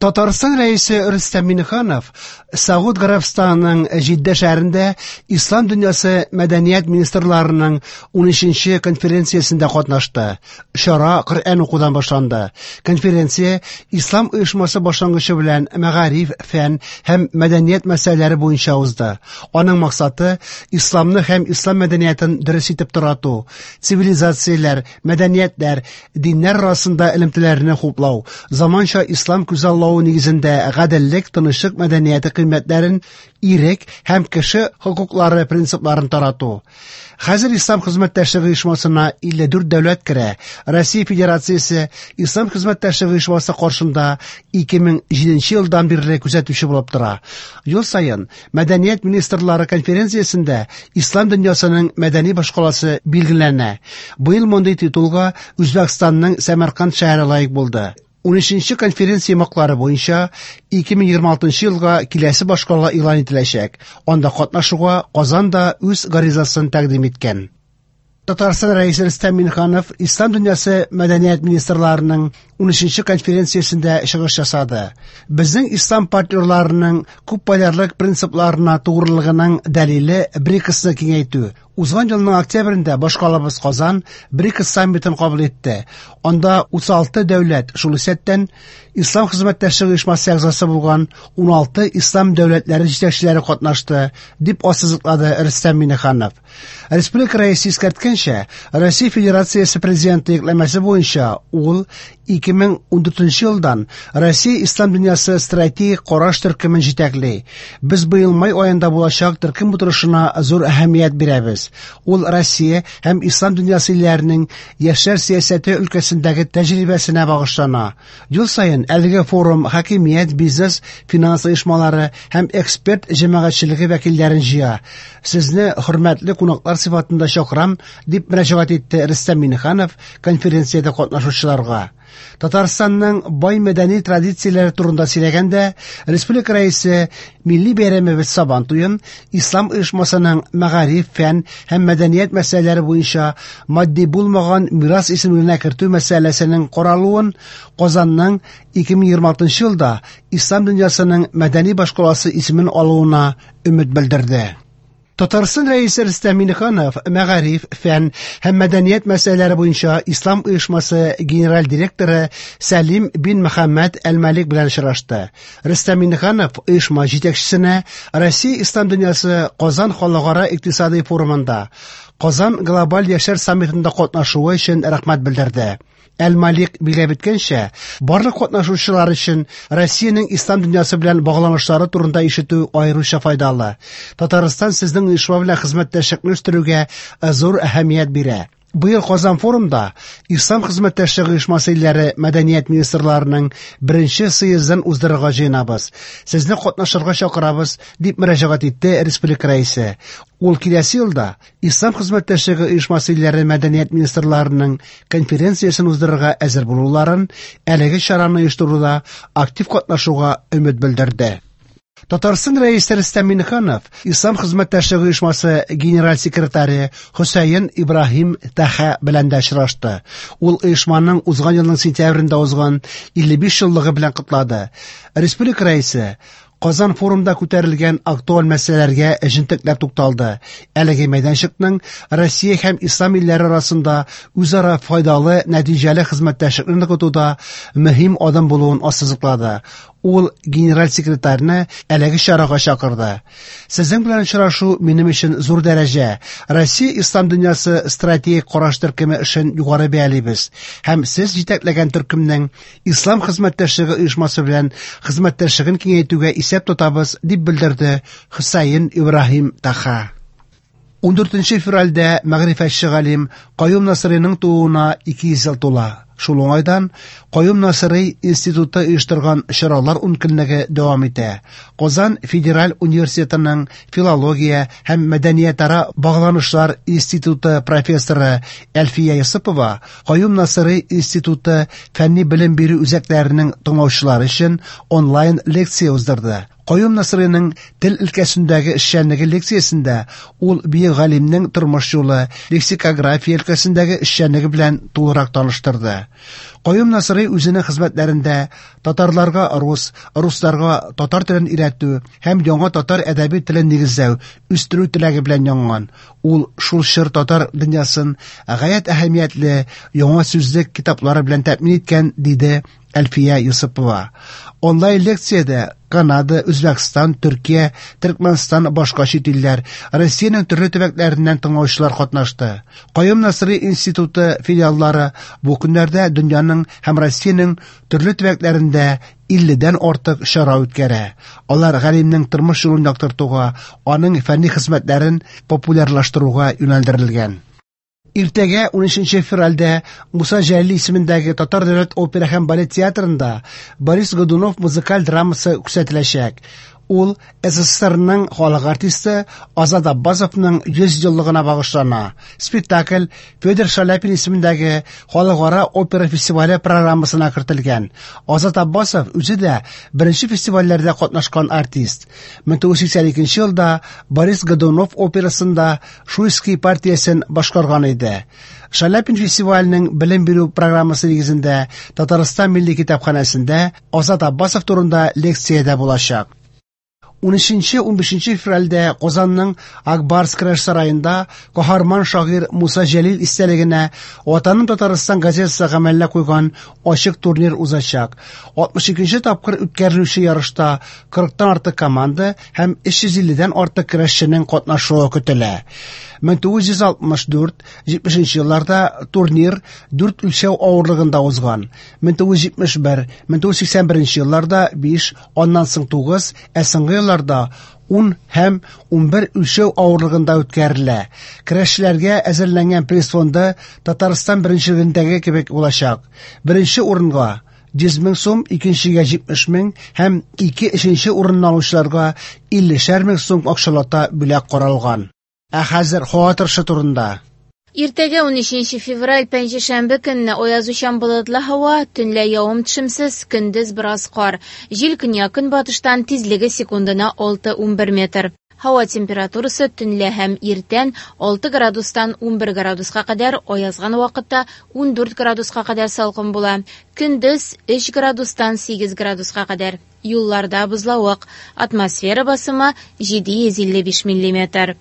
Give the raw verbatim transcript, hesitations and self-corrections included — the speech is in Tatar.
Татарстан Рәисе Рөстәм Миңнеханов Сауд Гарәбстанының Җиддә шәһәрендә Ислам дөньясы мәдәният министрларының унөченче конференциясендә катнашты. Чара Коръән укудан башланды. Конференция Ислам оешмасы башлангычы белән мәгариф, фән һәм мәдәният мәсьәләләре буенча узды. Аның максаты исламны һәм ислам мәдәниятен дөрес итеп тарату, цивилизацияләр, мәдәниятләр, диннәр арасында элемтәләрне хуплау, заманча ислам күзаллавы нигезендә гаделлек, тынычлык мәдәнияте кыйммәтләрен, ирек һәм кеше хокуклары принципларын тарату. Хәзер Ислам хезмәттәшлеге оешмасына илле дүрт дәүләт керә. Россия Федерациясе Ислам хезмәттәшлеге оешмасы каршында ике мең җиденче елдан бирле күзәтүче булып тора. Ел саен Мәдәният министрлары конференциясендә Ислам дөньясының мәдәни башкаласы билгеләнә. Быел мондый титулга Үзбәкстанның Сәмәрканд шәһәре лаек булды. Унөченче конференция йомгаклары буенча ике мең егерме алтынчы елга киләсе башкала игълан ителәчәк. Анда катнашуга Казан да үз гаризасын тәкъдим иткән. Татарстан Рәисе Рөстәм Миңнеханов Ислам дөньясы мәдәният министрларының унөченче конференциясендә чыгыш ясады. Безнең ислам партнерларының күпполярлык принципларына тугрылыгының дәлиле БРИКСны киңәйтү. Узган елның октябрендә башкалабыз Казан БРИКС саммитын кабул итте. Анда утыз алты дәүләт, шул исәптән Ислам хезмәттәшлеге оешмасы әгъзасы булган уналты ислам дәүләтләре җитәкчеләре катнашты, дип ассызыклады Рөстәм Миңнеханов. Республика рәисе искәрткәнчә, Россия Федерациясе президенты йөкләмәсе буенча ул ике мең ундүртенче елдан Россия Ислам дөньясы стратегик караш төркемен җитәкли. Без быел май аенда булачак төркем утырышына зур әһәмият бирәбез. Ул Россия һәм Ислам дөньясы илләренең яшьләр сәясәте өлкәсендәге тәҗрибәсенә багышлана. Ел саен әлеге форум хакимият, бизнес, финанс оешмалары һәм эксперт җәмәгатьчелеге вәкилләрен җыя. Сезне хөрмәтле кунаклар сыйфатында чакырам, дип мөрәҗәгать итте Рөстәм Миңнеханов конференциядә катнашучыларга. Татарстанның бай мәдәни традицияләре турында сөйләгәндә, республика рәисе милли бәйрәмебез Сабан туен Ислам оешмасының мәгариф, фән һәм мәдәният мәсьәләләре буенча матди булмаган мирас исемлегенә кертү мәсьәләсенең каралуын Казанның ике мең егерме алтынчы елда Ислам дөньясының мәдәни башкаласы исемен алуына өмет белдерде. Татарстан рәисе Рөстәм Миңнеханов мәгариф, фән һәм мәдәният мәсьәләләре буенча Ислам оешмасы генераль директоры Сәлим бин Мөхәммәд Әл-Малик белән очрашты. Рөстәм Миңнеханов оешма җитәкчесенә Россия Ислам дөньясы Казан халыкара икътисади форумында Казан глобаль яшьләр саммитында катнашуы өчен рәхмәт белдерде. Әл-Малик билгеләп үткәнчә, барлык катнашучылар өчен Россиянең ислам дөньясы белән багланышлары турында ишетү аеруча файдалы. Татарстан сезнең оешма белән хезмәттәшлекне үстерүгә зур әһәмият бирә. Быел Казан форумда Ислам хезмәттәшлеге оешмасы илләре мәдәният министрларының беренче съездын уздырырга җыенабыз. Сезне катнашырга чакырабыз, дип мөрәҗәгать итте республика рәисе. Ул киләсе елда Ислам хезмәттәшлеге оешмасы илләре мәдәният министрларының конференциясен уздырырга әзер булуларын, әлеге чараны оештыруда актив катнашуга өмет белдерде. Татарстан рәисе Рөстәм Миңнеханов Ислам хезмәттәшлеге оешмасы генераль секретаре Хөсәен Ибраһим Таха белән дә очрашты. Ул оешманың узган елның сентябрендә узган илле биш еллыгы белән котлады. Республика рәисе Казан форумда күтәрелгән актуаль мәсьәләләргә җентекләп тукталды. Әлеге мәйданчыкның Россия һәм ислам илләре арасында үзара файдалы, нәтиҗәле хезмәттәшлекне ныгытуда мөһим адым булуын ассызыклады. Ул генераль секретарьны әлеге чарага чакырды. Сезнең белән очрашу минем өчен зур дәрәҗә. Россия ислам дөньясы стратегик караш төркеме эшен югары бәялибез. Һәм сез җитәкләгән төркемнең ислам хезмәттәшлеге оешмасы белән хезмәттәшлеген киңәйтүгә исәп тотабыз, дип белдерде Хөсәен Ибраһим Таха. Ундүртенче февральдә мәгърифәтче галим Каюм Насыйриның тууына ике йөз ел тула. Шул уңайдан Каюм Насыйри институты оештырган чаралар ункөнлеге дәвам итә. Казан федераль университетының филология һәм мәдәниятара багланышлар институты профессоры Әлфия Йосыпова Каюм Насыйри институты фәнни белем бирү үзәкләренең тыңлаучылары өчен онлайн лекция уздырды. Каюм Насыйриның тел өлкәсендәге эшчәнлеге лекциясендә ул бөек галимнең тормыш юлы, лексикография өлкәсендәге эшчәнлеге белән тулырак таныштырды. Каюм Насыйри үзенең хезмәтләрендә татарларга рус, русларга татар телен өйрәтү һәм яңа татар әдәби телен нигезләү, үстерү теләге белән янган. Ул шул чор татар дөньясын гаять әһәмиятле яңа сүзлек китаплары белән тәэмин иткән, диде Әлфия Йосыпова. Онлайн лекциядә Канада, Үзбәкстан, Төркия, Төркмәнстан, башка чит илләр, Россиянең төрле төбәкләреннән тыңлаучылар катнашты. Каюм Насыйри институты филиаллары бу көннәрдә дөньяның һәм Россиянең төрле төбәкләрендә илледән артык чара үткәрә. Алар галимнең тормыш юлын яктыртуга, аның фәнни хезмәтләрен популярлаштыруга юнәлдерелгән. Иртәгә унөченче февральдә Муса Җәлил исемендәге Татар дәүләт опера һәм балет театрында Борис Годунов музыкаль драмасы күрсәтеләчәк. Ул СССРның халык артисты Азат Аббасовның йөз еллыгына багышлана. Спектакль Федор Шаляпин исемендәге халыкара опера фестивале программасына кертелгән. Азат Аббасов үзе дә беренче фестивальләрдә катнашкан артист. мең тугыз йөз сиксән икенче елда Борис Годунов операсында Шуйский партиясен башкарган иде. Шаляпин фестиваленең белем бирү программасы нигезендә Татарстан Милли китапханәсендә Азат Аббасов турында лекция дә булачак. Унөченче, унбишенче февральдә Казанның Акбарс көрәш сараенда каһарман шагыйрь Муса Җәлил истәлегенә Ватаным Татарстан газетасы гамәлгә куйган ачык турнир узачак. Алтмыш икенче тапкыр үткәрелүче ярышта кырыктан артык команда һәм өч йөз илледән артык көрәшченең катнашуы көтелә. мең тугыз йөз алтмыш дүрт, җитмешенче елларда турнир дүрт үлчәү авырлыгында узган. мең тугыз йөз җитмеш бер, мең тугыз йөз сиксән беренче елларда биш, аннан соң тугыз, ә соңгы елларда ун һәм унбер үлчәү авырлыгында үткәрелә. Көрәшчеләргә әзерләнгән приз фонды Татарстан беренчелегендәге кебек булачак. Беренче урынга йөз мең сум, икенчегә җитмеш мең һәм ике өченче урынны алучыларга иллешәр мең сум акчалата бүләк каралган. Ә хәзер һава торышы турында. Иртәгә унөченче февраль пәнҗешәмбе көнне аязучан болытлы һава, төнлә явым-төшемсез, көндез бераз кар. Җил көньяк-көнбатыштан тизлеге секундына алты унбер метр. Һава температурасы төнлә һәм иртән алты градустан унбер градуска кадәр, аязган вакытта ундүрт градуска кадәр салкын була. Көндез өч градустан сигез градуска кадәр. Юлларда бозлавык. Атмосфера басымы җиде йөз илле биш миллиметр.